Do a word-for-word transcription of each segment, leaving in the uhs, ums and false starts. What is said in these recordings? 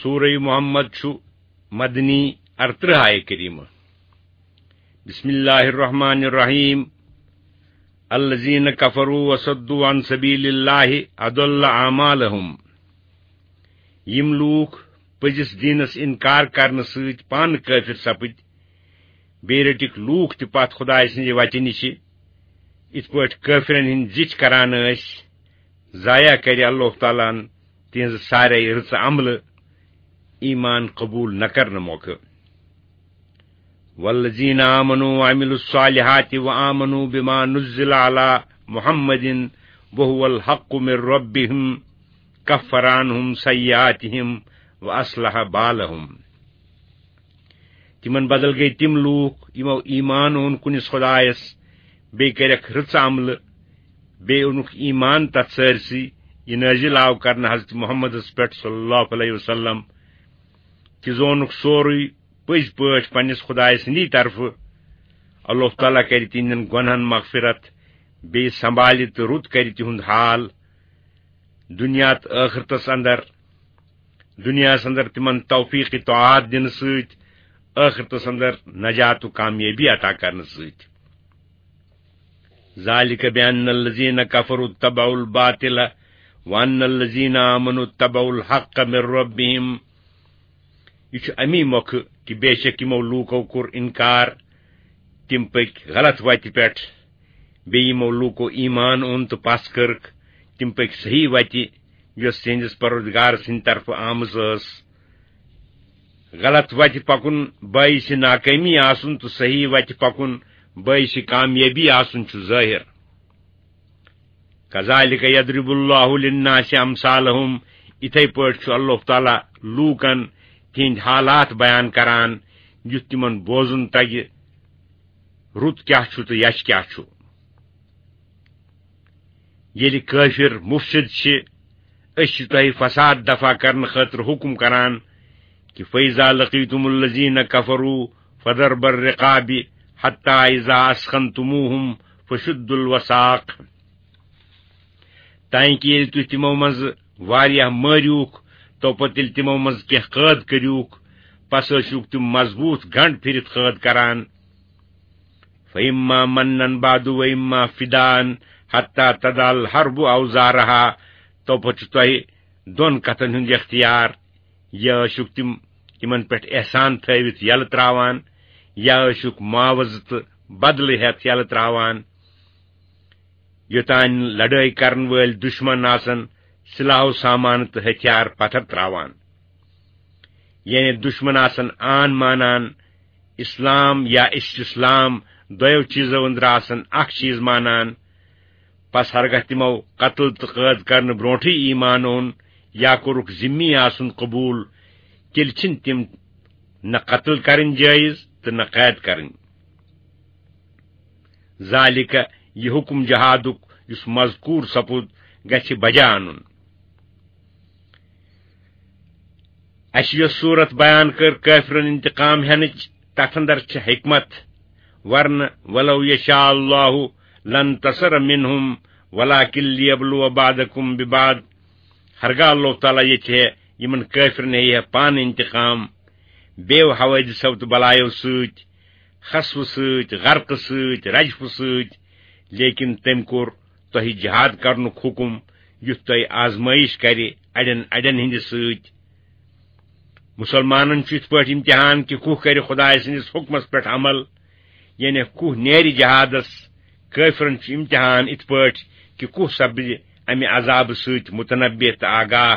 سورہ محمد چھُ مدنی، ارترہ آیہ کریمہ۔ بسم اللہ الرحمن الرحیم۔ الذین کفروا وصدوا عن سبیل اللہ اضل اعمالہم۔ یِم لوٗکھ پٔزِس دیٖنس انکار کرنہٕ سۭتۍ پانہٕ کٲفر سپٕدۍ، بیٚیہِ رٔٹِکھ لوٗکھ تہِ پتھ خدایہِ سٕنٛزِ وتہِ نِشہِ، یِتھ پٲٹھۍ کٲفرن ہٕنٛدۍ زِٹھۍ کران ٲسۍ، ضایع کرِ اللہ تعالیٰ ہن تِہنٛزٕ سارے رٕژٕ عملہٕ ایمان قبول نہ کرنہٕ موقعہٕ۔ والذین آمنوا وعملوا الصالحات وآمنوا بما نزل علی محمد وهو الحق من ربهم کفر عنهم سیئاتهم واصلح بالهم۔ تِمن بدل گٔے تِم لوٗکھ، یِمو ایمان اوٚن کُنِس خدایس، بیٚیہِ کٔرکھ رٕژٕ عملہٕ، بیٚیہِ اوٚنُکھ ایمان تتھ سٲرسٕے، یہِ نٲزِل آو کرنہٕ حضرت محمدس پٮ۪ٹھ صلی اللہ علیہ وسلم، تہِ زونُکھ سورُے پٔزۍ پٲٹھۍ پننِس خدایہِ سٕنٛدی طرفہٕ۔ اللہ تعالیٰ کرِ تِہنٛدٮ۪ن گۄنہن مغفرت، بیٚیہِ سنبھالہِ تہٕ رُت کرِ تِہُنٛد حال دُنیا تہٕ ٲخرتس اندر۔ دُنیاہس اندر تِمن توفیق طاعات دِنہٕ سۭتۍ، ٲخرتس اندر نجات و کامیٲبی عطا کرنہٕ سۭتۍ۔ ذالک بأن الذین کفروا اتبعوا الباطل وأن الذین آمنوا اتبعوا الحق من ربهم۔ یہِ چھُ امی مۄکھٕ کہِ بے شک یِمو لوٗکو کوٚر انکار، تِم پٔکۍ غلط وتہِ پٮ۪ٹھ، بیٚیہِ یِمو لوٗکو ایمان اوٚن تہٕ پس کٔرٕکھ، تِم پٔکۍ صحیح وتہِ، یۄس تِہنٛدِس پروردگار سٕنٛدِ طرفہٕ آمٕژ ٲس۔ غلط وتہِ پکُن باعث ناکٲمی آسُن تہٕ صحیح وتہِ پکُن باعث کامیٲبی آسُن چھُ ظٲہر۔ کذالک یضرب اللہ للناس امثالہم، یِتھے پٲٹھۍ چھُ اللہ تعالیٰ لوٗکن تِہنٛدۍ حالات بیان کران، یُتھ تِمن بوزُن تگہِ رُت کیاہ چھُ تہٕ یچھ کیاہ چھُ۔ ییٚلہِ کٲفر مفسد چھِ، أسۍ چھِ تۄہہِ فساد دفع کرنہٕ خٲطرٕ حکم کران کہِ فَإِذَا لَقِيتُمُ الَّذِينَ كَفَرُوا فَضَرْبَ الرِّقَابِ حَتَّىٰ إِذَا أَثْخَنْتُمُوهُمْ فَشُدُّوا الْوَثَاقَ۔ تانکہ ییٚلہِ تُہۍ تِمو منٛزٕ واریاہ مٲرِوکھ، تو پتہٕ ییٚلہِ تِمو منٛزٕ کینٛہہ قٲد کٔرِوکھ، پس ٲسِوکھ تِم مضبوٗط گنڈ پھِرِتھ قٲد کران۔ فَإِمَّا مَنًّا بَعْدُ وَإِمَّا فِدَاءً حَتَّىٰ تَضَعَ الْحَرْبُ أَوْزَارَهَا، تو پتہٕ چھُ تۄہہِ دۄن کتھن ہُنٛد اختیار، یا ٲسِوکھ تِم تِمن پٮ۪ٹھ احسان تھٲوِتھ یلہٕ تراوان، یا ٲسِوکھ معاوضہٕ تہٕ بدلہٕ ہٮ۪تھ یلہٕ تراوان، یوٚتام لڑٲے کرن وٲلۍ دشمن آسن سلاح و سامان تہٕ ہتھیار پتھر تراوان۔ یعنی دشمن آسن آن مانان، اسلام یا استسلام، دۄیو چیزو أنٛدرٕ آسن اکھ چیز مانان۔ پس ہرگاہ تِمو قتل تہٕ قٲد کرنہٕ برونٹھٕے ایمان اوٚن یا کوٚرُکھ ذمی آسُن قبول، تیٚلہِ چھِنہٕ تِم نہ قتل کرٕنۍ جٲیز تہٕ نہ قید کرٕنۍ۔ ذالک، یہِ حکم جہادُک یُس مذکور سپُد، گژھِ بجا انُن۔ اسہِ یۄس صورت بیان کٔر کٲفرن انتقام ہینٕچ، تتھ اندر چھِ حکمت۔ ورنہ ولو یشاء اللہ لانتصر منہم ولکن لیبلو بعضکم ببعض۔ ہرگاہ اللہ تعالیٰ یژھِ ہے، یِمن کٲفرن ہیٚیہِ ہے پانہٕ انتقام، بیو حوادثو تہٕ بلایو سۭتۍ، خسفہٕ سۭتۍ، غرقہٕ سۭتۍ، رجفہٕ سۭتۍ، لیکن تٔمۍ کوٚر تۄہہِ جہاد کرنُک حکم، یُتھ تۄہہِ آزمٲیش کرِ اڑٮ۪ن اڑٮ۪ن ہٕنٛدِ سۭتۍ۔ مسلمانن چھُ یِتھ پٲٹھۍ امتحان کہِ کُہ کرِ خدایہِ سٕنٛدِس حکمس پٮ۪ٹھ عمل، یعنی کُہ نیرِ جہادس۔ کٲفرن چھُ امتحان یِتھ پٲٹھۍ کہِ کُہ سپدِ امہِ عذابہٕ سۭتۍ متنبع تہٕ آگاہ،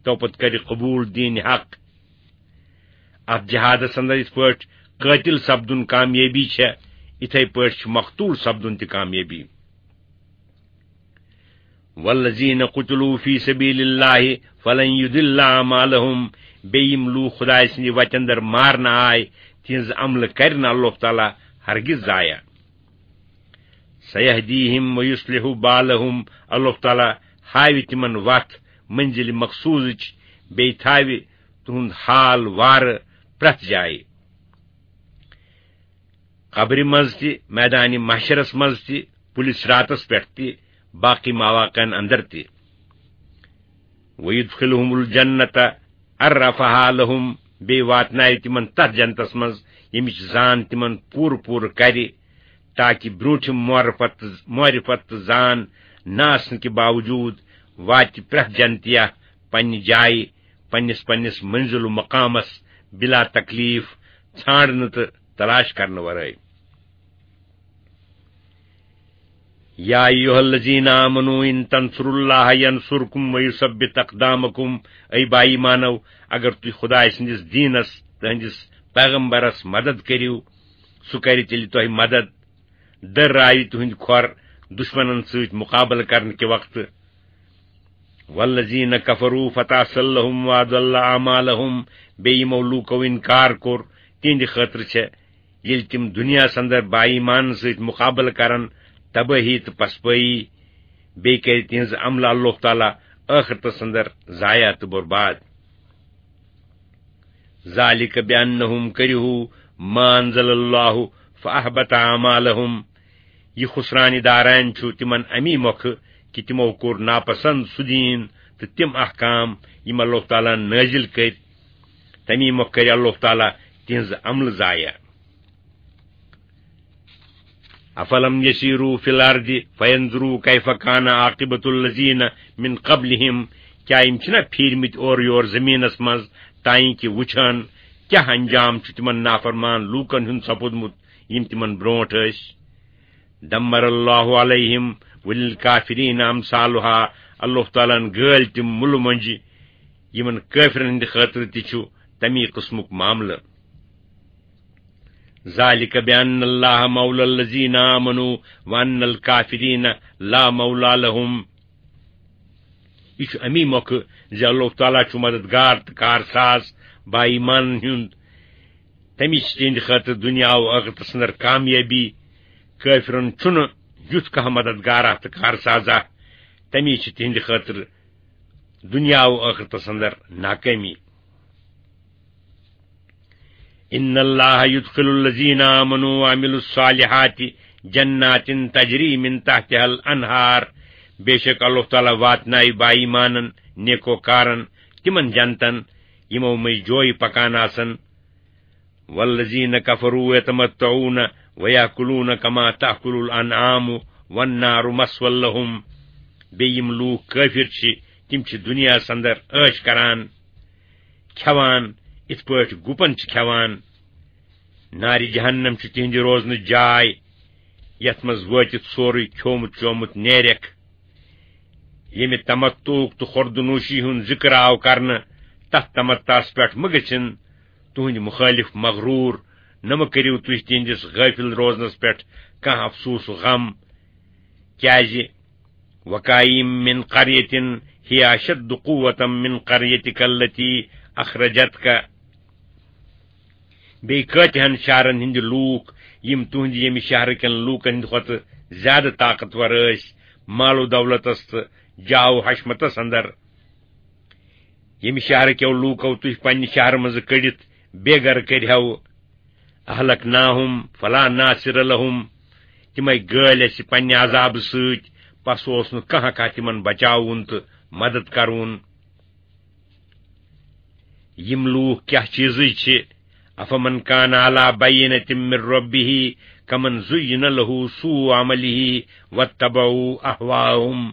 تو پتہٕ کرِ قبول دین حق۔ اتھ جہادس اندر یِتھ پٲٹھۍ قٲتل سپدُن کامیٲبی چھےٚ، یِتھے پٲٹھۍ چھُ مقتول سپدُن تہِ کامیٲبی۔ والذین قتلوا فی سبیل اللہ فلن یضل اعمالہم، بیٚیہِ یِم لوٗکھ خدایہِ سٕنٛدِ وتہِ اندر مارنہٕ آے، تِہنٛز عملہٕ کرِ نہٕ اللہ تعالیٰ ہرگز ضایع۔ سیہدیہم ویصلح بالہم، اللہ تعالیٰ ہاوِ تِمن وتھ منزل مقصودٕچ، بیٚیہِ تھاوِ تُہُنٛد حال وارٕ پرٛٮ۪تھ جایہِ۔ قبرِ منٛز تہِ، میدانِ محشرس منٛز تہِ، پُلہِ صراطس پٮ۪ٹھ تہِ، باقی مواقعن اندر تہِ۔ ویدخلہم الجنت، عرفها لهم، بیٚیہِ واتناوِ تِمن تتھ جنتس منٛز، ییٚمِچ زان تِمن پوٗرٕ پوٗرٕ کرِ، تاکہِ برٛونٛٹھِم معرفت، معرفت تہٕ زان نہ آسنہٕ کہِ باوجوٗد واتہِ پرٛٮ۪تھ جنتیہ پننہِ جایہِ، پننِس پننِس منزل و مقامس بلا تکلیف، ژھانڈنہٕ تہٕ تلاش کرنہٕ ورٲے۔ یا ایھا الذین آمنوا ان تنصروا اللہ ینصرکم ویثبت اقدامکم۔ اے با ایمانو، اگر تُہۍ خدایہِ سٕنٛدِس دیٖنس، تٕہٕنٛدِس پیغمبرس مدد کٔرِو، سُہ کرِ تیٚلہِ تۄہہِ مدد۔ دٔر راوِ تُہٕنٛدۍ کھۄر دُشمنن سۭتۍ مقابلہٕ کرنہٕ کہِ وقتہٕ۔ والذین کفروا فتعسا لهم واضل اعمالهم۔ بیٚیہِ یِمو لوٗکو انکار کوٚر، تِہنٛدِ خٲطرٕ چھےٚ، ییٚلہِ تِم دُنیاہس اندر با ایمانن سۭتۍ مقابلہٕ کرن، تبٲہی تہٕ پسپٲیی۔ بیٚیہِ کرِ تِہنٛز عملہٕ اللہ تعالیٰ ٲخرتس اندر ضایع تہٕ برباد۔ ذالک بانہم کرہوا ما انزل اللہ فاحبط اعمالہم۔ یہِ خسرانہِ داران چھُ تِمن امی مۄکھٕ کہِ تِمو کوٚر ناپسند سُہ دیٖن تہٕ تِم احکام یِم اللہ تعالیٰ ہن نٲزِل کٔرۍ، تمی مۄکھٕ کرِ اللہ تعالیٰ تِہنٛز عملہٕ ضایع۔ افلم یسیروا فی الارض فینظروا کیف کان عاقبۃ الذین من قبلہم۔ کیا یِم چھِنہ پھیٖرمٕتۍ اورٕ یور زٔمیٖنس منٛز، تانۍ کہِ وٕچھن کیٛاہ انجام چھُ تِمن نافرمان لوٗکن ہُنٛد سپُدمُت یِم تِمن برونٛٹھ ٲسۍ؟ دمر اللہ علیہم وللکافرین امثالہا۔ اللہ تعالیٰ ہن گٲلۍ تِم مُلہٕ مۄنجہِ، یِمن کٲفرن ہٕنٛدِ خٲطرٕ تہِ چھُ تمی قٕسمُک معاملہٕ۔ ذالک بان اللہ مولی الذین آمنوا وان الکافرین لا مولی لہم۔ یہِ چھُ امی مۄکھٕ زِ اللہ تعالیٰ چھُ مددگار تہٕ کارساز با ایمانن ہُنٛد۔ تٔمِس چھِ تِہنٛدِ خٲطرٕ دُنیا و ٲخرتس اندر کامیٲبی۔ کٲفرن چھُنہٕ یُتھ کانٛہہ مددگارا تہٕ کارسازا۔ تٔمِس چھِ تِہنٛدِ خٲطرٕ دُنیا و ٲخرتس اندر ناکٲمی۔ ان اللہ یدخل الذین آمنوا وعملوا الصالحات جنات تجری من تحتها الانہار۔ بے شک اللہ تعالیٰ واتنایہِ با ایمانن، نیکوکارن تِمن جنتن یِمو مٔنٛزۍ جویہِ پکان آسن۔ والذین کفروا یتمتعون ویأکلون کما تأکل الانعام والنار مثوی لہم۔ بیٚیہِ یِم لوٗکھ کٲفِر چھِ، تِم چھِ دُنیاہَس اندر عٲش کران، کھٮ۪وان، یِتھ پٲٹھۍ گُپن چھِ کھٮ۪وان۔ نارِ جہنم چھِ تِہنٛدِ روزنٕچ جاے، یَتھ منٛز وٲتِتھ سورُے کھیومُت چومُت نیرٮ۪کھ۔ ییٚمہِ تمتعُک تہٕ خوردنوشی ہُنٛد ذِکر آو کرنہٕ، تَتھ تمتعس پٮ۪ٹھ مہٕ گٔژھِن تُہٕنٛدۍ مُخٲلِف مغروٗر، نہ مہٕ کٔرِو تُہۍ تِہنٛدِس غٲفِل روزنس پٮ۪ٹھ کانٛہہ افسوس و غم، کیازِ وکایم من قریۃ ہی اشد قوۃ من قریتک التی اخرجتک۔ بیٚیہِ کۭتِہن شہرن ہٕنٛدۍ لوٗکھ، یِم تُہنٛدِ ییٚمہِ شہرٕ کٮ۪ن لوٗکن ہٕنٛدِ کھۄتہٕ زیادٕ طاقتور ٲسۍ مال و دولتس تہٕ جاہ و حشمتس اندر، ییٚمہِ شہرٕ کٮ۪و لوٗکو تُہۍ پننہِ شہرٕ منٛزٕ کٔڑِتھ بے گرٕ کٔرۍ ہیو، اہلکناہم فلا ناصر لہم، تِمے گٲلۍ اَسہِ پننہِ عذابہٕ سۭتۍ، پس اوس نہٕ کانٛہہ کانٛہہ تِمن بچاوُن تہٕ مدد کرُن۔ یِم لوٗکھ کیٛاہ چیٖزٕے چھِ؟ افمن کان علی بینۃ من ربہ کمن زین لہ سوء عملہ واتبعوا اہواءہم۔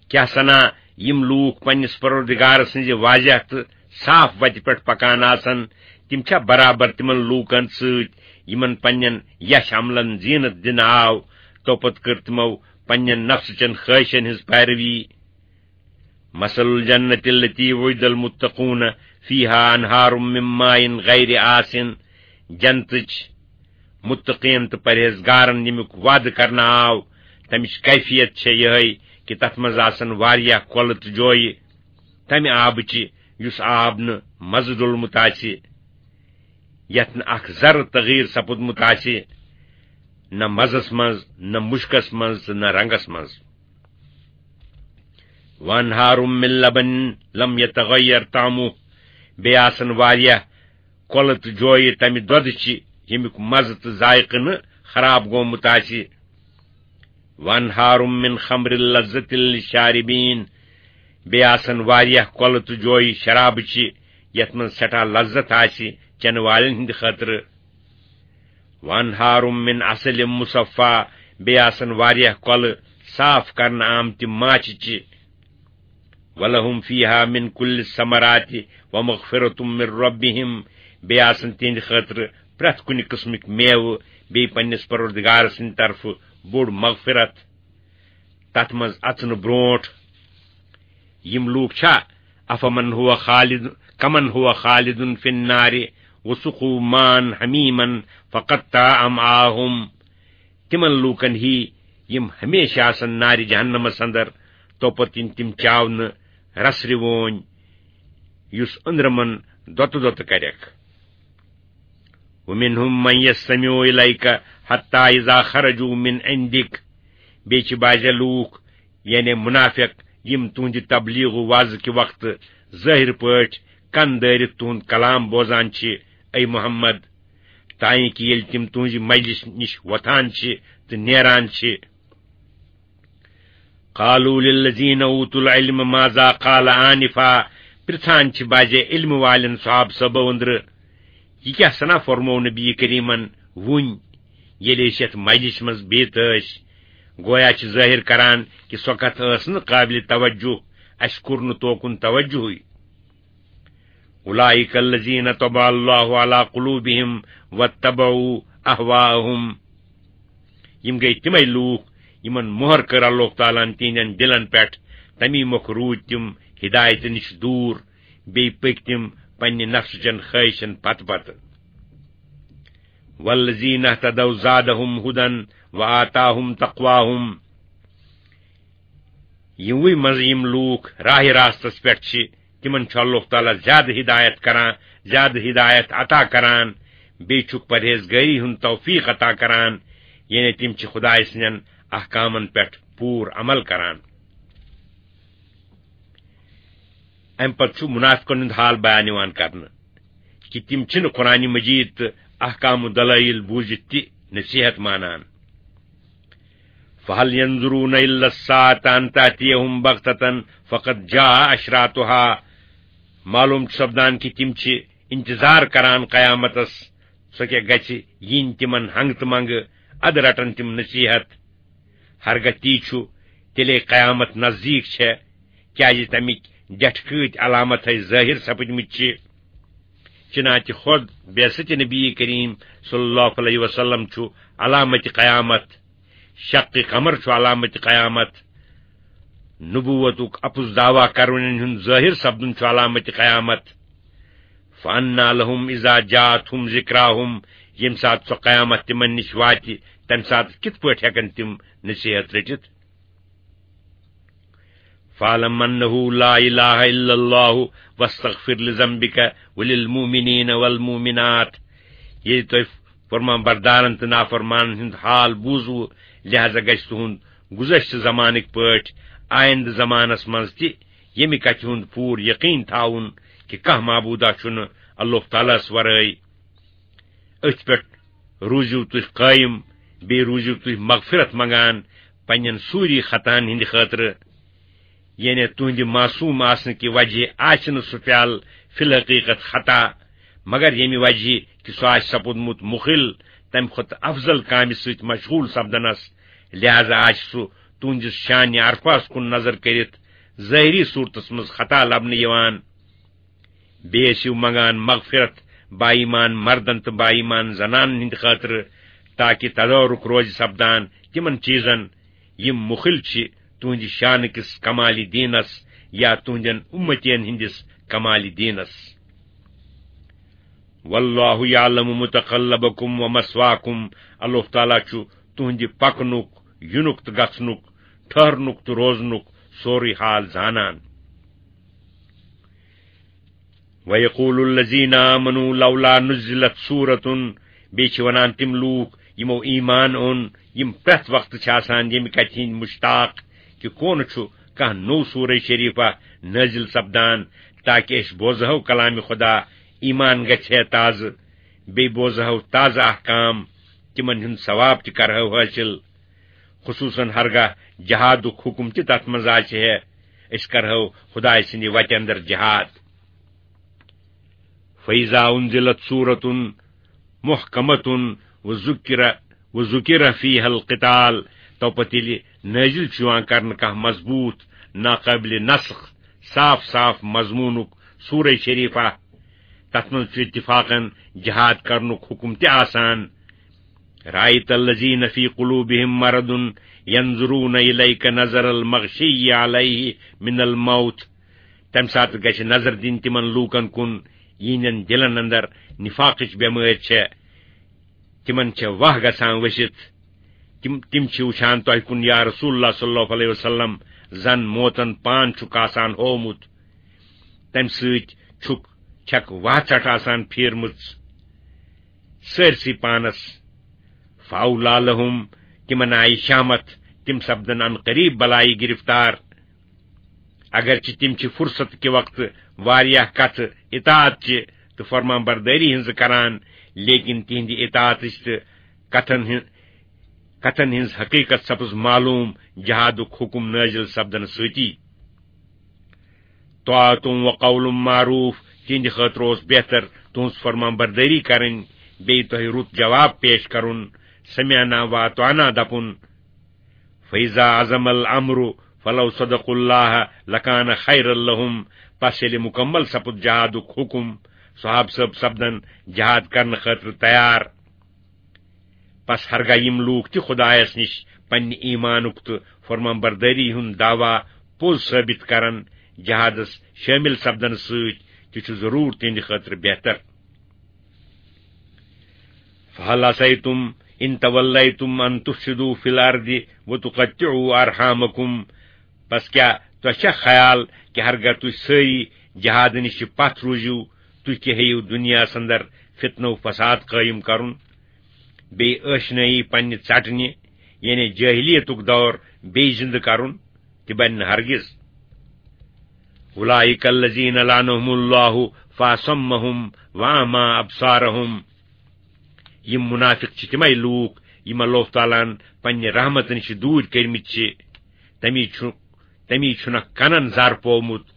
کیٛاہ سنا یِم لوٗکھ پننِس پروردگار سٕنٛزِ واضح تہٕ صاف وتہِ پٮ۪ٹھ پکان آسن، تِم چھا برابر تِمن لوٗکن سۭتۍ یِمن پننٮ۪ن یش عملن زینت دِنہٕ آو، توپتہٕ کٔر تِمو پننٮ۪ن نفسہٕ چٮ۪ن خٲہشن ہٕنٛز پیروی؟ مثل الجنة التي وعد المتقون فيها أنهار من ماء غير آسن۔ جنتٕچ متقین تہٕ پرہیزگارن ییٚمیُک وعدٕ کرنہٕ آو، تمِچ کیفیت چھےٚ یِہے کہِ تتھ منٛز آسن واریاہ کۄلہٕ تہٕ جویہِ تمہِ آبہٕ چہِ یُس آب نہٕ مزٕ ڈوٚلمُت آسہِ، یتھ نہٕ اکھ ذرٕ تغیٖر سپُدمُت آسہِ، نہ مزس منٛز، نہ مُشکس منٛز تہٕ نہ رنگس منٛز۔ وانہار من لبن لم یتغیر طعمہ، بیٚیہِ آسن واریاہ کۄلہٕ تہٕ جویہِ تمہِ دۄدٕ چہِ، ییٚمیُک مزٕ تہٕ ذائقہٕ نہٕ خراب گوٚمُت آسہِ۔ وانہار من خمر لذة للشاربین، بیٚیہِ آسن واریاہ کۄلہٕ تہٕ جویہِ شرابٕچہِ، یَتھ منٛز سٮ۪ٹھاہ لذت آسہِ چٮ۪نہٕ والٮ۪ن ہٕنٛدِ خٲطرٕ۔ وَأَنْهَارٌ مِّنْ عَسَلٍ مُصَفًّى، بیٚیہِ آسن واریاہ کۄلہٕ صاف کرنہٕ آمتہِ ماچھِ چہِ۔ وَلَهُمْ فِيهَا مِنْ كُلِّ الثَّمَرَاتِ وَمَغْفِرَةٌ مِّن رَّبِّهِمْ، بیٚیہِ آسن تِہنٛدِ خٲطرٕ پرٛٮ۪تھ کُنہِ قٕسمٕکۍ میوٕ، بیٚیہِ پننِس پروردگار سٕنٛدِ طرفہٕ بوٚڑ مغفرت۔ تتھ منٛز اژنہٕ برونٹھ یِم لوٗکھ چھا، افمن ہوا خالد، کمن ہوا خالد فی النار وسقوا ماء حمیما فقطع امعاءهم، تِمن لوٗکن ہی یِم ہمیشہِ آسن نارِ جہنمس اندر، توپتہٕ یِن تِم چاونہٕ رسرِ وونۍ، یُس أنٛدرمن دۄتہٕ دۄتہٕ کرٮ۪کھ۔ ومنهم من يستمع إليك حتى إذا خرجوا من عندك، بیٚیہِ چھِ بعضے لوٗکھ، یعنی منافق، یِم تُہنٛدِ تبلیغ و وعظ کہِ وقتہٕ ظٲہِر پٲٹھۍ کن دٲرِتھ تُہنٛد کلام بوزان چھِ، اے محمد، تانۍ کہِ ییٚلہِ تِم تُہنٛزِ مجلس نِش وۄتھان چھِ تہٕ نیران چھِ۔ قالوا للذين أوتوا العلم ماذا قال آنفا، پرژھان چھِ بعضے علم والٮ۪ن صحابہٕ صٲبو أنٛدرٕ، یہِ کیٛاہ سنا فرموو نبی کریمن وُنۍ، ییٚلہِ أسۍ یتھ مجلس منٛز بِہِتھ ٲسۍ؟ گویا چھِ ظٲہِر کران کہِ سۄ کتھ ٲس نہٕ قابل توجہ، اسہِ کوٚر نہٕ توکُن توجہٕے۔ أولئك الذين طبع الله على قلوبهم واتبعوا أهواءهم۔ یِم گٔے تِمے لوٗکھ، یِمن مۄہر کٔر اللہ تعالیٰ ہن تِہنٛدٮ۪ن دِلن پٮ۪ٹھ، تَمی مۄکھٕ روٗدۍ تِم ہدایتہٕ نِش دوٗر، بیٚیہِ پٔکۍ تِم پننہِ نفسہٕ چٮ۪ن خٲہشن پتہٕ پتہٕ۔ والذين اهتدوا زادهم هدى وآتاهم تقواهم۔ یِموٕے منٛز یِم لوٗکھ راہِ راستس پٮ۪ٹھ چھِ، تِمن چھُ اللہ تعالیٰ زیادٕ ہدایت کران، زیادٕ ہدایت عطا کران، بیٚیہِ چھُکھ پرہیزگٲری ہُنٛد توفیق عطا کران، یعنی تِم چھِ خدایہِ سٕنٛدٮ۪ن احکامن پٮ۪ٹھ پوٗرٕ عمل کران۔ امہِ پتہٕ چھُ منافقن ہُنٛد حال بیان یِوان کرنہٕ کہِ تِم چھِنہٕ قرآن مجید تہٕ احکام و دلائل بوٗزِتھ تہِ نصیحت مانان۔ فهل ينظرون إلا الساعة أن تأتيهم بغتة فقد جاء أشراطها۔ معلوم چھُ سپدان کہِ تِم چھِ انتظار کران قیامتس، سۄ کیٛاہ گژھِ یِنۍ تِمن ہنگہٕ تہٕ منگہٕ، ادٕ رٹن تِم نصیحت۔ ہرگاہ تی چھُ، تیٚلے قیامت نزدیٖک چھےٚ، کیٛازِ تمِکۍ ڈٮ۪ٹھٕ کۭتۍ علامت ہے ظٲہِر سپٕدمٕتۍ چھِ۔ چنانچہ خود بعثت نبی کریم صلی اللہ علیہ وسلم چھُ علامت قیامت، شق قمر چھُ علامت قیامت، نبوتُک اپُز دعویٰ کرونن ہُنٛد ظٲہِر سپدُن چھُ علامت قیامت۔ فأنى لهم إذا جاءتهم ذكراهم، ییٚمہِ ساتہٕ سۄ قیامت تِمن نِش واتہِ، تمہِ ساتہٕ کِتھ پٲٹھۍ ہٮ۪کن تِم نصیحت رٔٹِتھ؟ فاعلم أنه لا إله إلا الله واستغفر لذنبك وللمؤمنين والمؤمنات۔ ییٚلہِ تۄہہِ فرمان بردارن تہٕ نافرمانن ہُنٛد حال بوٗزوٕ، لہذا گژھِ تُہُنٛد گُذشتہٕ زمانٕکۍ پٲٹھۍ آیندٕ زمانس منٛز تہِ ییٚمہِ کتھِ ہُنٛد پوٗرٕ یقین تھاوُن کہِ کانٛہہ معبوٗدا چھُنہٕ اللہ تعالیٰ ہس ورٲے۔ أتھۍ پٮ۪ٹھ روٗزِو تُہۍ قٲیِم، بیٚیہِ روٗزِو تُہۍ مغفرت منٛگان پننٮ۪ن سوٗری خطاہن ہٕنٛدِ خٲطرٕ۔ یعنی تُہنٛدِ معصوٗم آسنہٕ کہِ وجہ آسہِ نہٕ سُہ پیالہٕ فی الحقیقت خطا، مگر ییٚمہِ وجہ کہِ سُہ آسہِ سپُدمُت مُخِل تمہِ کھۄتہٕ افضل کامہِ سۭتۍ مشغوٗل سپدنس، لہذا آسہِ سُہ تُہنٛدِس شانہِ عرفاہس کُن نظر کٔرِتھ ظٲہری صوٗرتس منٛز خطا لبنہٕ یِوان۔ بیٚیہِ ٲسِو منگان مغفرت با ایمان مردن تہٕ با ایمان زنانن ہٕنٛدِ خٲطرٕ، تاکہِ تدارک روزِ سپدان تِمن چیٖزن، یِم مُخِل چھِ تُہنٛدِ شانہٕ کِس کمالِ دیٖنس یا تُہنٛدٮ۪ن اُمتین ہٕنٛدِس کمالِ دیٖنس۔ واللہ یعلم متقلبکم ومثواکم، اللہ تعالیٰ چھُ تُہنٛدِ پکنُک، یُنُک تہٕ گژھنُک، ٹھہرنُک تہٕ روزنُک سورُے حال زانان۔ وَيَقُولُ الَّذِينَ آمَنُوا لَوْلَا نُزِّلَتْ سُورَةٌ، بیٚیہِ چھِ وَنان تِم لوٗکھ یِمو ایمان اوٚن، یِم پرٛٮ۪تھ وقتہٕ چھِ آسان ییٚمہِ کَتھِ ہِنٛدۍ مُشتاق کہِ کون چھُ کانٛہہ نوٚو سورہ شریٖفہ نٲزِل سپدان، تاکہِ أسۍ بوزہو کلامِ خدا، ایمان گژھِ ہے تازٕ، بیٚیہِ بوزہو تازٕ احکام، تِمن ہُنٛد ثواب تہِ کرہو حٲصِل۔ خصوٗصاً ہرگاہ جہادُک حُکم تہِ تتھ منٛز آسہِ ہے، أسۍ کرہو خدایہِ سٕنٛدِ وتہِ اندر جہاد۔ فَإِذَا أُنزِلَتْ سُورَةٌ مُحْكَمَةٌ وَذُكِرَ، وَذُكِرَ فِيهَا الْقِتَالُ، تو پتہٕ ییٚلہِ نٲزِل چھُ یِوان کرنہٕ کانٛہہ مضبوٗط، ناقٲبلِ نسخ، صاف صاف مضموٗنُک سورہ شریفہ، تتھ منٛز چھُ اتفاقاً جہاد کرنُک حکم تہِ آسان۔ رأيت الذين في قلوبهم مرض ينظرون إليك نظر المغشي عليه من الموت۔ تمہِ ساتہٕ گژھِ نظر دِنۍ تِمن لوٗکن کُن، یِہنٛدٮ۪ن دِلن اندر نفاقٕچ بٮ۪مٲرۍ چھےٚ، تِمن چھےٚ واہ گژھان ؤسِتھ۔ تِم، تِم چھِ وٕچھان تۄہہِ کُن، یا رسول اللہ صلی اللہ علیہ وسلم، زن موتن پان چھُکھ آسان ہوومُت۔ تمہِ سۭتۍ چھُکھ، چھکھ واہ ژٹھ آسان پھیرمٕژ سٲرسٕے پانس۔ فاولا لہم، تِمن آیہِ شامت، تِم سپدن عن قریب بلایہِ گرفتار۔ اگرچہ تِم چھِ فرصت کہِ وقتہٕ واریاہ کتھٕ اطاعت چہِ تہٕ فرمان بردٲری ہٕنٛزٕ کران، لیکن تِہنٛدِ اطاعتٕچ تہٕ کتھن ہٕنٛز، کتھن ہٕنٛز حقیقت سپٕز معلوم جہادُک حکم نٲزِل سپدنہٕ سۭتی۔ طاعتم و قول معروف، تِہنٛدِ خٲطرٕ اوس بہتر تُہنٛز فرمان بردٲری کرٕنۍ، بیٚیہِ تۄہہِ رُت جواب پیش کرُن، سمعنا و اطعنا دپُن۔ فَإِذَا عَزَمَ الْأَمْرُ فَلَوْ صَدَقُوا اللَّهَ لَكَانَ خَيْرًا لَهُمْ۔ پس ییٚلہِ مُکمل سپُد جہادُک حُکم، صحابہٕ صٲب سپدن جہاد کرنہٕ خٲطرٕ تیار۔ پس ہرگاہ یِم لوٗکھ تہِ خۄدایس نِش پننہِ ایمانُک تہٕ فرمان بردٲری ہُنٛد دعویٰ پوٚز ثٲبت کرن، جہادس شٲمِل سپدنہٕ سۭتۍ تہِ چھُ ضروٗر تِہنٛدِ خٲطرٕ بہتر۔ فَهَلْ عَسَيْتُمْ إِنْ تَوَلَّيْتُمْ أَنْ تُفْسِدُوا فِي الْأَرْضِ وَتُقَطِّعُوا أَرْحَامَكُمْ۔ پس کیا تۄہہِ چھا خیال کہِ ہرگاہ تُہۍ سٲری جہاد نِش پتھ روٗزِو، تُہۍ کہِ ہیٚیِو دُنیاہس اندر فتنہٕ و فساد قٲیِم کرُن، بیٚیہِ ٲشنٲیی پننہِ ژٹنہِ، یعنی جٲہلیتُک دور بیٚیہِ زِندٕ کرُن؟ تہِ بنہِ نہٕ ہرگز۔ أُولَٰئِكَ الَّذِينَ لَعَنَهُمُ اللَّهُ فَأَصَمَّهُمْ وَأَعْمَىٰ أَبْصَارَهُمْ۔ یِم مُنافِق چھِ تِمے لوٗکھ، یِم اللہ تعالیٰ ہن پننہِ رحمتہٕ نِش دوٗرۍ کٔرمٕتۍ چھِ۔ تمی چھُ، تمی چھُنکھ کنن زر پوومُت،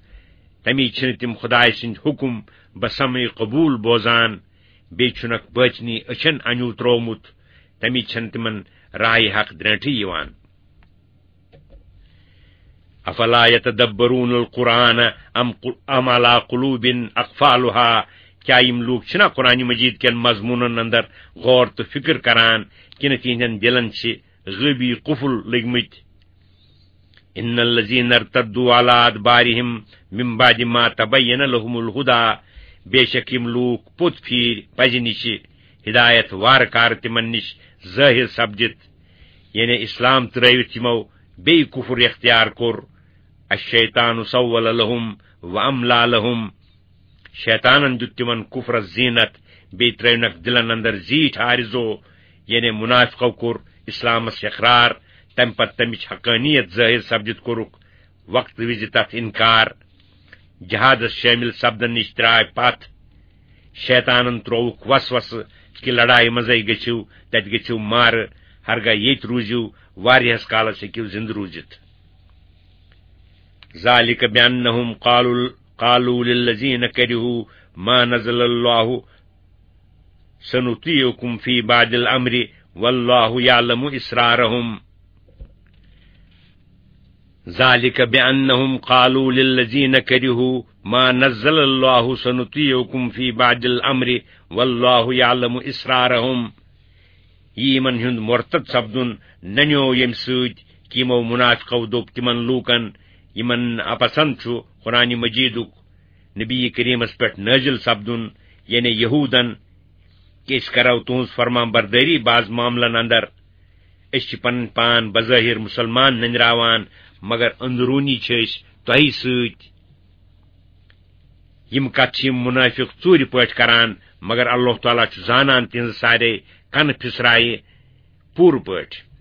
تمی چھِنہٕ تِم خدایہِ سٕنٛدۍ حُکم بسمع قبوٗل بوزان، بیٚیہِ چھُنکھ بٲطنی أچھن انیوٗ تروومُت، تمی چھَنہٕ تِمن راہِ حق درٛینٛٹھٕے یِوان۔ أَفَلَا يَتَدَبَّرُونَ الْقُرْآنَ أَمْ قُ-، أَمْ عَلَىٰ قُلُوبٍ أَقْفَالُهَا۔ کیا یِم لوٗکھ چھِنا قرآن مجید کٮ۪ن مضموٗنن اندر غور تہٕ فکر کران، کِنہٕ تِہنٛدٮ۪ن دِلن چھِ غٲبی قفل لٔگۍ مٕتۍ؟ إِنَّ الَّذِينَ ارْتَدُّوا عَلَىٰ أَدْبَارِهِمْ مِنْ بَعْدِ مَا تَبَيَّنَ لَهُمُ الْهُدَىٰ۔ بے شک یِم لوٗکھ پوٚت پھیٖرۍ پزِ نِشہِ، ہدایت وارٕ کارٕ تِمن نِش ظٲہِر سپدِتھ، یعنی اسلام ترٲوِتھ یِمو بیٚیہِ کفر اختیار کوٚر۔ الشیطان سول لہم و املا لہم۔ شیطانن دیُت تِمن کفرس زینت، بیٚیہِ ترٲونکھ دِلن اندر زیٖٹھ آرزو، یعنی منافقو کوٚر اسلامس اقرار، تمہِ پتہٕ تمِچ حقانیت ظٲہر سپدِتھ کوٚرُکھ وقت وِزِ تتھ انکار۔ جہادس شٲمِل سپدن نِش ترٛاے پتھ۔ شیطانن ترووُکھ وسوسہٕ کہِ لڑایہِ منٛزے گٔژھِو، تتہِ گٔژھِو مارٕ، ہرگاہ ییٚتہِ روٗزِو، واریاہس کالس ہیٚکِو زِندٕ روٗزِتھ۔ ذَٰلِكَ بِأَنَّهُمْ قَالُوا، قَالُوا لِلَّذِينَ كَرِهُوا مَا نَزَّلَ اللَّهُ سَنُطِيعُكُمْ فِي بَعْضِ الْأَمْرِ وَاللَّهُ يَعْلَمُ إِسْرَارَهُمْ۔ ذَٰلِكَ بِأَنَّهُمْ قَالُوا لِلَّذِينَ كَرِهُوا مَا نَزَّلَ اللَّهُ سَنُطِيعُكُمْ فِي بَعْضِ الْأَمْرِ وَاللَّهُ يَعْلَمُ إِسْرَارَهُمْ۔ یہِ یِمن ہُنٛد مرتد سپدُن ننیوو ییٚمہِ سۭتۍ کہِ یِمو منافقو دوٚپ تِمن لوٗکن، یِمن ناپسند چھُ قرآن مجیدُک نبی کریمس پٮ۪ٹھ نٲزِل سپدُن، یعنی یہودن، کہِ أسۍ کرو تُہنٛز فرمان بردٲری بعض معاملن اندر۔ أسۍ چھِ پنٕنۍ پان بظٲہر مسلمان نٔنراوان، مگر اندروٗنی چھِ أسۍ تۄہہِ سۭتۍ۔ یِم کتھٕ چھِ یِم منافق ژوٗرِ پٲٹھۍ کران، مگر اللہ تعالیٰ چھُ زانان تِہنٛزٕ سارے کنہٕ پھِسرایہِ پوٗرٕ پٲٹھۍ۔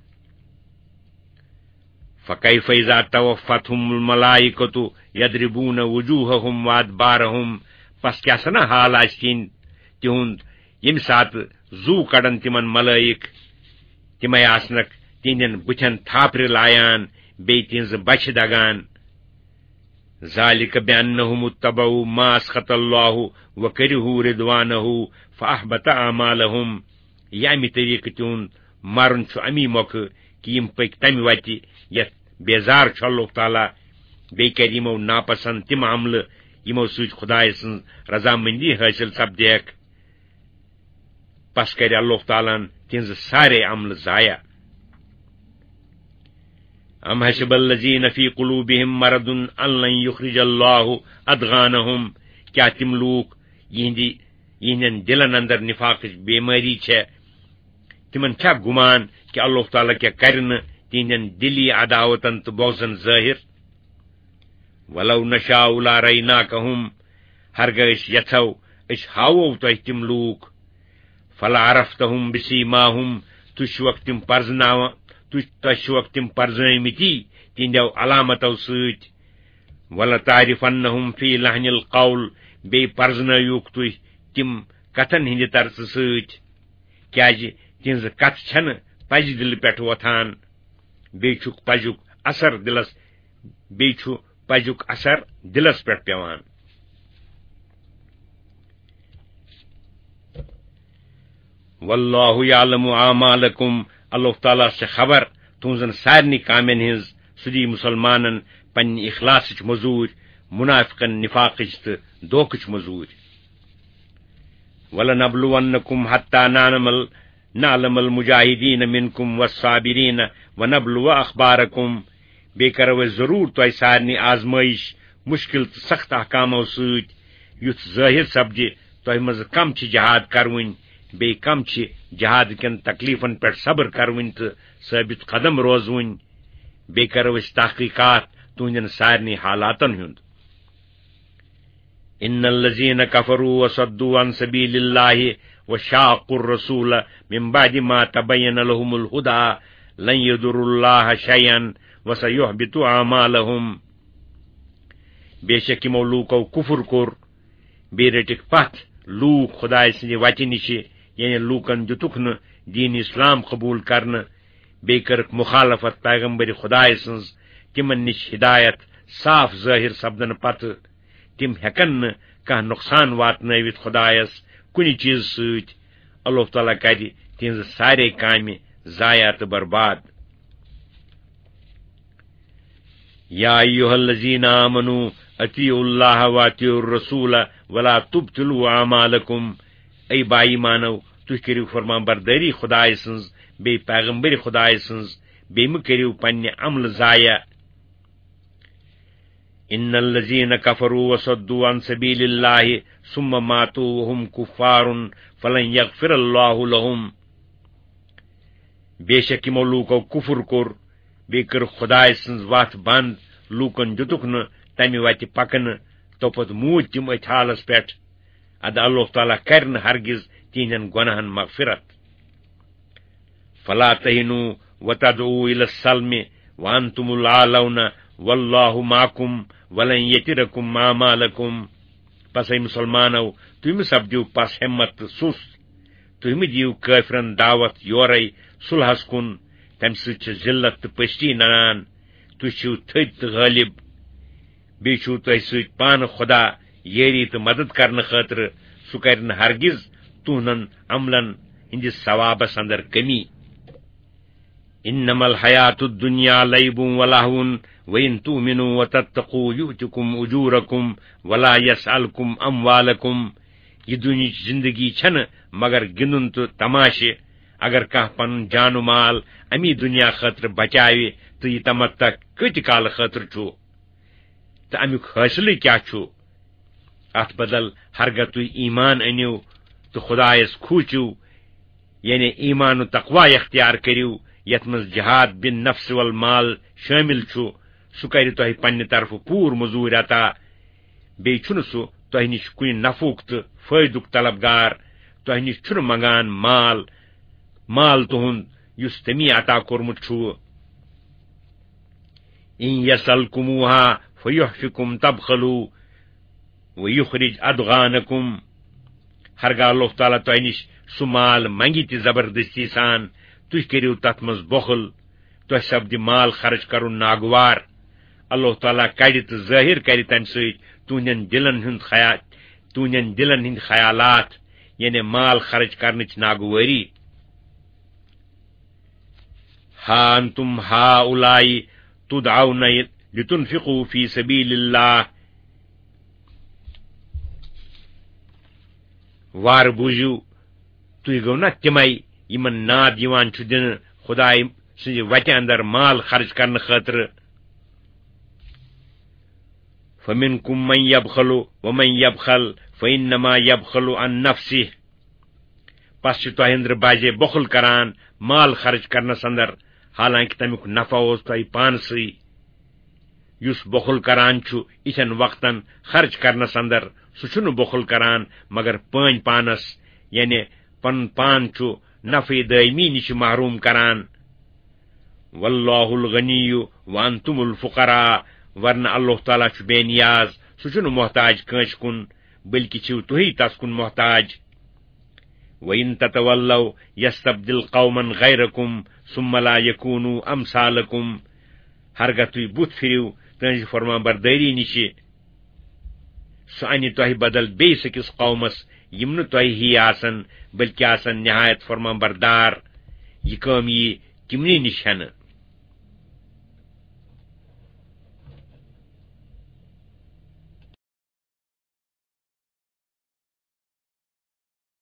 فَكَيْفَ إِذَا تَوَفَّتْهُمُ الْمَلَائِكَةُ يَضْرِبُونَ وُجُوهَهُمْ وَأَدْبَارَهُمْ۔ پس کیٛاہ سنا حال آسہِ تِہنٛد، تِہُنٛد، ییٚمہِ ساتہٕ زُو کڑن تِمن ملٲیِک، تِمے آسنکھ تِہنٛدٮ۪ن بُتھٮ۪ن تھاپرِ لایان، بیٚیہِ تِہنٛزٕ بچھِ دگان۔ ذلك بأنهم اتبعوا ما أسخط الله وكرهوا رضوانه فأحبط أعمالهم۔ یہِ اَمہِ طریٖقہٕ تِہُنٛد مرُن چھُ اَمی مۄکھٕ کہِ یِم پٔکۍ تَمہِ وَتہِ یَتھ بیزار چھُ اللہ تعالیٰ، بیٚیہِ کَرِ یِمو ناپسنٛد تِم عملہٕ، یِمو سۭتۍ خۄدایہِ سٕنٛز رضامندی حٲصِل سپدیکھ۔ پس کرِ اللہ تعالیٰ ہن تِہنٛزٕ سارے عملہٕ ضایع۔ أم حسب الذين في قلوبهم مرض أن لن يخرج الله أضغانهم؟ کیا تِم لوٗکھ یِہنٛدِ، یِہنٛدٮ۪ن دِلن اندر نفاقٕچ بیمٲری چھےٚ؟ تِمن چھا گُمان کہِ اللہ تعالیٰ کیٛاہ کرِ نہٕ تِہنٛدٮ۪ن دِلی عداوتن تہٕ بغضن ظٲہِر؟ ولو نشاء لاريناكهم، ہرگاہ أسۍ یژھو، أسۍ ہاوو تۄہہِ تِم لوٗکھ۔ فلعرفتهم بسيماهم، تُہۍ چھِوکھ تِم پرزناوان، تُہۍ، تۄہہِ چھِوکھ تِم پرزٲومٕتی تِہنٛدیو علامتو سۭتۍ۔ ولتعرفنهم في لحن القول، بیٚیہِ پرزنٲوِوکھ تُہۍ تِم کتھن ہٕنٛدِ طرزٕ سۭتۍ، کیازِ تِہنٛزٕ کتھٕ چھنہٕ پزِ دِلہٕ پٮ۪ٹھ وۄتھان۔ بیٚیہِ چھُکھ پزیُک اثر دِلس، بیٚیہِ چھُ پزیُک اثر دِلس پٮ۪ٹھ پٮ۪وان۔ واللہ یعلم اعمالکم، اللہ تعالیٰ چھِ خبر تُہنٛزن سارنٕے کامٮ۪ن ہٕنٛز۔ سُہ دِیہِ مُسلمانن پننہِ اخلاصٕچ مٔزوٗرۍ، مُنافقن نفاقٕچ تہٕ دھوکٕچ مٔزوٗرۍ۔ ولنبلونکم حتی نعلم ال-، نعلم المجاہدین منکم والصابرین ونبلو اخبارکم۔ بیٚیہِ کرو أسۍ ضروٗر تۄہہِ سارنٕے آزمٲیش مُشکِل تہٕ سخت احکامو سۭتۍ، یُتھ ظٲہِر سپدِ تۄہہِ منٛز کم چھِ جہاد کرٕوٕنۍ، بیٚیہِ کم چھِ جہاد کٮ۪ن تکلیفن پٮ۪ٹھ صبر کرٕوٕنۍ تہٕ ثٲبت قدم روزٕوٕنۍ۔ بیٚیہِ کرو أسۍ تحقیقات تُہنٛدٮ۪ن سارنٕے حالاتن ہُنٛد۔ ان الذين كفروا وصدوا عن سبيل الله وشاقوا الرسول من بعد ما تبين لهم الهدى لن يضروا الله شيئا وسيحبط اعمالهم۔ بے شک یِمو لوٗکو کُفُر کوٚر، بیٚیہِ رٔٹِکھ پتھ لوٗکھ خۄدایہِ سٕنٛدِ وتہِ نِشہِ، یعنی لوٗکن دِتُکھ نہٕ دیٖن اسلام قبوٗل کرنہٕ، بیٚیہِ کٔرٕکھ مُخالفت پیغمبر خۄدایہِ سٕنٛز، تِمن نِش ہدایت صاف ظٲہِر سپدنہٕ پتہٕ۔ تِم ہٮ۪کن نہٕ کانٛہہ نۄقصان واتنٲوِتھ خۄدایس کُنہِ چیٖزٕ سۭتۍ۔ اللہ تعالیٰ کرِ تِہنٛزٕ سارے کامہِ ضایع تہٕ برباد۔ یا ایھا الذین آمنوا اطیعوا اللہ واطیعوا الرسول ولا تبطلوا اعمالکم۔ اے با ایمانو، تُہۍ کٔرِو فرمان بردٲری خۄدایہِ سٕنٛز، بیٚیہِ پیغمبر خۄدایہِ سٕنٛز، بیٚیہِ مہٕ کٔرِو پننہِ عملہٕ ضایع۔ ان الذین کفروا وصدوا عن سبیل اللہ ثم ماتوا وهم کفار فلن یغفر اللہ لهم۔ بے شک یِمو لوٗکو کُفُر کوٚر، بیٚیہِ کٔر خۄدایہِ سٕنٛز وَتھ بنٛد، لوٗکن دِتُکھ نہٕ تَمہِ وَتہِ پکنہٕ، توپتہٕ موٗدۍ تِم أتھۍ حالس پٮ۪ٹھ۔ اَدٕ اللہ تعالیٰ کرِ نہٕ ہرگز تِہنٛدٮ۪ن گۄناہن مغفرت۔ فلا تهنوا وتدعوا الى السلم وانتم الاعلون والله معكم ولن يتركم اعمالكم۔ پس اے مُسلمانو، تُہۍ مہٕ سپدِو پس ہمت تہٕ سُست۔ تُہۍ مہٕ دِیِو کٲفرن دعوت یورے صلحس کُن، تمہِ سۭتۍ چھِ ذلت تہٕ پستی ننان۔ تُہۍ چھِو تھٔدۍ تہٕ غٲلب۔ بیٚیہِ چھُو تۄہہِ سۭتۍ پانہٕ خۄدا یٲری تہٕ مدد کرنہٕ خٲطرٕ۔ سُہ کرِ نہٕ ہرگز تُہنٛدٮ۪ن عملن ہٕنٛدِس ثوابس اندر کمی۔ انما الحیات الدنیا لعب ولهو وان تؤمنوا وتتقوا یؤتکم اجورکم ولا یسألکم اموالکم۔ یہِ دُنیاہٕچ زندگی چھنہٕ مگر گِنٛدُن تہٕ تماشہٕ۔ اگر کانٛہہ پنُن جان و مال امی دُنیا خٲطرٕ بچاوِ، تہٕ یہِ تمتع کۭتہِ کالہٕ خٲطرٕ چھُ؟ تہٕ امیُک حٲصلٕے کیٛاہ چھُ؟ اتھ بدل ہرگاہ تُہۍ ایمان أنِو تہٕ خۄدایس کھوٗژِو، یعنی ایمان و تقوی اختیار کٔرِو، یتھ منٛز جہاد بالنفس والمال شٲمِل چھُ، سُہ کرِ تۄہہِ پننہِ طرفہٕ پوٗرٕ مٔزوٗرۍ عطا۔ بیٚیہِ چھُنہٕ سُہ تۄہہِ نِش کُنہِ نفعُک تہٕ فٲیدُک طلبگار، تۄہہِ نِش چھُنہٕ منگان مال، مال تُہُنٛد یُس تٔمی عطا کوٚرمُت چھُو۔ ان یسألکموها فیحفکم تبخلوا ویخرج اضغانکم۔ ہرگاہ اللہ تعالیٰ تۄہہِ نِش سُہ مال منگہِ تہِ زبردستی سان، تُہۍ کٔرِو تتھ منٛز بخل، تۄہہِ سپدِ مال خرٕچ کرُن ناگوار۔ اللہ تعالیٰ کڑِ تہٕ ظٲہِر کرِ تمہِ سۭتۍ تُہنٛدٮ۪ن دِلن ہُنٛد خیا-، تُہنٛدٮ۪ن دِلن ہٕنٛدۍ خیالات، یعنی مال خرٕچ کرنٕچ ناگوٲری۔ ہا انتم ہاؤلائی تدعون لتنفقوا فی سبیل اللہ۔ وار بوٗزِو، تُہۍ گٔو نا تِمے یِمن ناد یِوان چھُ دِنہٕ خدایہِ سٕنٛزِ وتہِ اندر مال خرٕچ کرنہٕ خٲطرٕ؟ فمنکم من یبخل ومن یبخل فانما یبخل عن نفسہ۔ پس چھِ تۄہہِ أنٛدرٕ بعضے بۄخُل کران مال خرٕچ کرنس اندر، حالانکہ تمیُک نفع اوس تۄہہِ پانسٕے۔ یُس بۄخُل کران چھُ یِتھٮ۪ن وقتن خرٕچ کرنس اندر، سُہ چھُنہٕ بۄخُل کران مگر پٲنۍ پانس، یعنی پنُن پان چھُ نفعِ دٲیمی نِش محروم کران۔ واللہ الغنی وانتم الفقراء، ورنہ اللہ تعالیٰ چھُ بے نیاز، سُہ چھُنہٕ محتاج کٲنٛسہِ کُن، بلکہ چھِو تُہی تس کُن محتاج۔ وَإِن تَتَوَلَّوْا يَسْتَبْدِلْ قَوْمًا غَيْرَكُمْ ثُمَّ لَا يَكُونُوا أَمْثَالَكُمْ۔ ہرگاہ تُہۍ بُتھ پھِرِو تُہٕنٛزِ فرمانبردٲری نِشہِ، سُہ اَنہِ تۄہہِ بدل بیٚیِس أکِس قومس، یِم نہٕ تۄہہِ ہِوۍ آسن، بلکہِ آسن نہایت فرمانبردار۔ یہِ کٲم یِیہِ تِمنٕے نِش ہٮ۪نہٕ۔